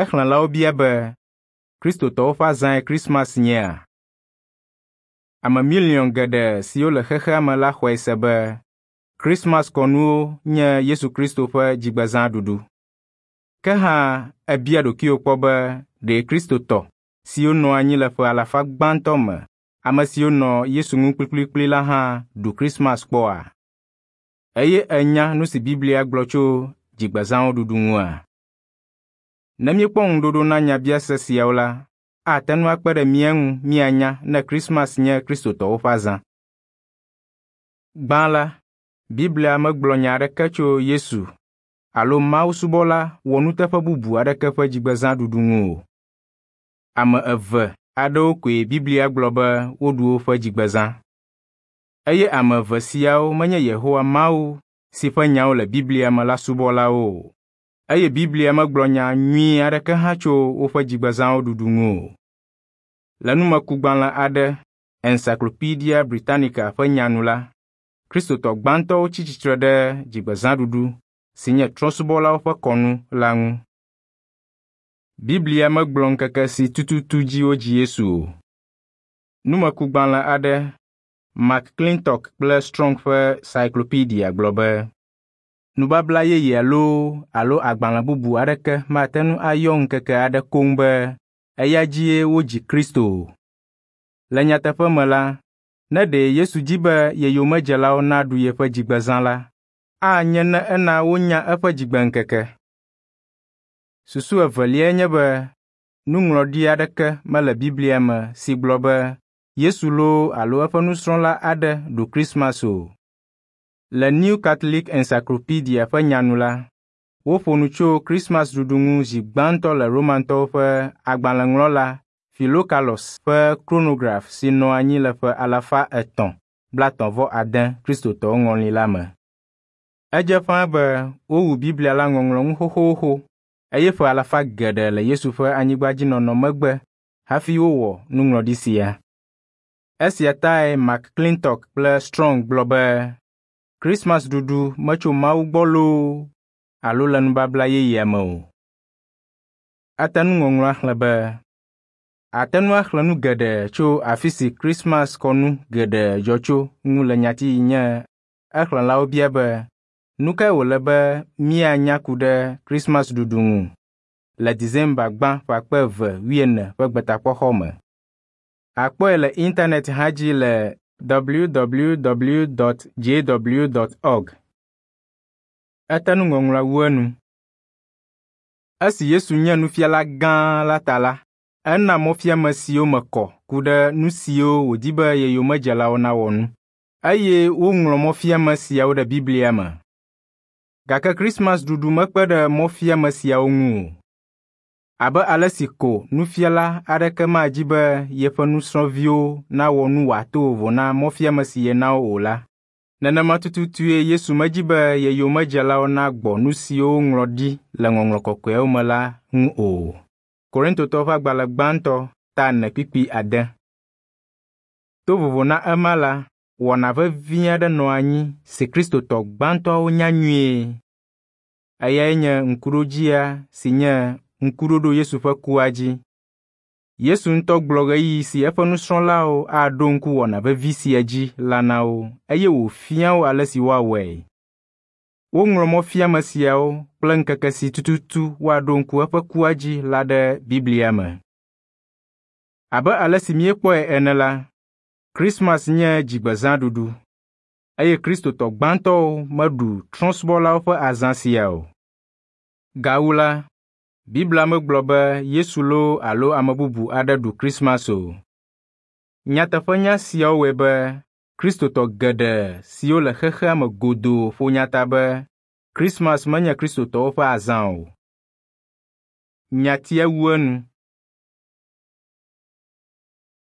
Exlẽlawo bia be, Kristotɔwo ƒe azãe Krismas nyea? Ame miliɔn geɖe siwo le xexea me la xɔe se be Krismas kɔnuwo nye Yesu Kristo ƒe dzigbezã ɖuɖu. Ke hã èbia ɖokuiwò kpɔ be ɖe Kristotɔ siwo nɔ anyi le ƒe alafa gbãtɔ me, ame siwo nɔ Yesu ŋu kplikplikpli la hã ɖu Krismas kpɔa? Eye ènya nu si Biblia gblɔ tso dzigbezãwo ɖuɖu ŋua? Ne míekpɔ ŋuɖoɖo na nyabiase siawo la, ate ŋu akpe ɖe mía ŋu míanya ne Krismas nye Kristotɔwo ƒe azã. Gbã la, Biblia megblɔ nya aɖeke tso Yesu alo mawusubɔla wɔnuteƒe bubu aɖeke ƒe dzigbezãɖuɖu ŋu o. Ame eve aɖewo koe Biblia gblɔ be woɖu woƒe dzigbezã. Eye ame eve siawo menye Yehowa Mawu si ƒe nyawo le Biblia me la subɔlawo o. Eye Biblia megblɔ nya nyui aɖeke hã tso woƒe dzigbezãwo ɖuɖu ŋu o. Le numekugbalẽ aɖe, Encyclopaedia Britannica ƒe nya nu la, Kristotɔ gbãtɔwo tsi tsitre ɖe dzigbezãɖuɖu si nye trɔ̃subɔlawo ƒe kɔnu la ŋu. Biblia megblɔ ŋkeke si tututu dzi wodzi Yesu o. Numekugbalẽ aɖe, McClintock kple Strong ƒe Cyclopedia gblɔ be, Nubabla yeyea loo alo agbalẽ bubu aɖeke mate ŋu ayɔ ŋkeke aɖe koŋ be eya dzie wodzi Kristo o. Le nyateƒe me la, ne ɖe Yesu di be ye yomedzelawo naɖu yeƒe dzigbezã la, anye ne ena wonya eƒe dzigbeŋkeke. Susu eveliae nye be nuŋlɔɖi aɖeke mele Biblia me si gblɔ be Yesu loo alo eƒe nusrɔ̃la aɖe ɖu Krismas o. Le New Catholic Encyclopedia ƒe nya nu la, woƒo nu tso Krismas ɖuɖu ŋu zi gbãtɔ le Romantɔwo ƒe agbalẽŋlɔla Philocalus ƒe Chronograph si nɔ anyi le ƒe alafa etɔ̃ blaetɔ̃-vɔ-ade Kristotɔwo ŋɔli la me. Edze ƒãa be wowu Biblia la ŋɔŋlɔ ŋu xoxoxo eye ƒe alafa geɖe le Yesu ƒe anyigbadzinɔnɔ megbe hafi wowɔ nuŋlɔɖi sia. Esia tae McClintock kple Strong gblɔ be Krismas ɖuɖu metso Mawu gbɔ loo alo le nubabla yeyea me o. Ate nuŋɔŋlɔa xlẽ be, Àte ŋu axlẽ nu geɖe tso afi si Krismas kɔnu geɖe dzɔ tso ŋu le nyati si nye Exlẽlawo bia be, “Nu kae wòle be míanya ku ɖe Krismas ɖuɖu ŋu?” le December 1, 2020 ƒe Gbetakpɔxɔ me. Àkpɔe le internet hã dzi le www.jw.org. Ete nuŋɔŋlɔa wu enu. Esi Yesu nye nufiala gã la ta la, ena mɔfiame siwo me kɔ ku ɖe nu siwo wòdi be ye yomedzelawo nawɔ ŋu. Eye woŋlɔ mɔfiame siawo ɖe Biblia me. Gake Krismas ɖuɖu mekpe ɖe mɔfiame siawo ŋu o. Abe ale si ko nufiala aɖeke madi be yeƒe nusrɔ̃viwo nawɔ nu wòato vovo na mɔfiame si yena wo o la, nenema tututue Yesu medi be ye yomedzelawo nagbɔ nu siwo woŋlɔ ɖi le Ŋɔŋlɔ Kɔkɔeawo me la ŋu o. Korintotɔwo ƒe agbalẽ gbãtɔ ta ene kpukpui ade. To vovo na ema la, wɔna vevi aɖe nɔ anyi si Kristotɔ gbãtɔawo nya nyuie. Eyae nye ŋkuɖodzia si nye ŋkuɖoɖo Yesu ƒe kua dzi. Yesu ŋutɔ gblɔ ɣeyiɣi si eƒe nusrɔ̃lawo aɖo ŋku wɔna vevi sia dzi la na wo eye wòfia wo ale si woawɔe. Woŋlɔ mɔfiame siawo kple ŋkeke si tututu woaɖo ŋku eƒe kua dzi la ɖe Biblia me. Abe ale si míekpɔe ene la, Krismas nye dzigbezãɖuɖu eye Kristotɔ gbãtɔwo meɖu trɔ̃subɔlawo ƒe azã sia o. Gawu la, Biblia megblɔ be Yesu loo alo ame bubu aɖe ɖu Krismas o. Nyateƒenya siawo wɔe be Kristotɔ geɖe siwo le xexea me godoo ƒo nya ta be Krismas menye Kristotɔwo ƒe azã o. Nyatia wu enu.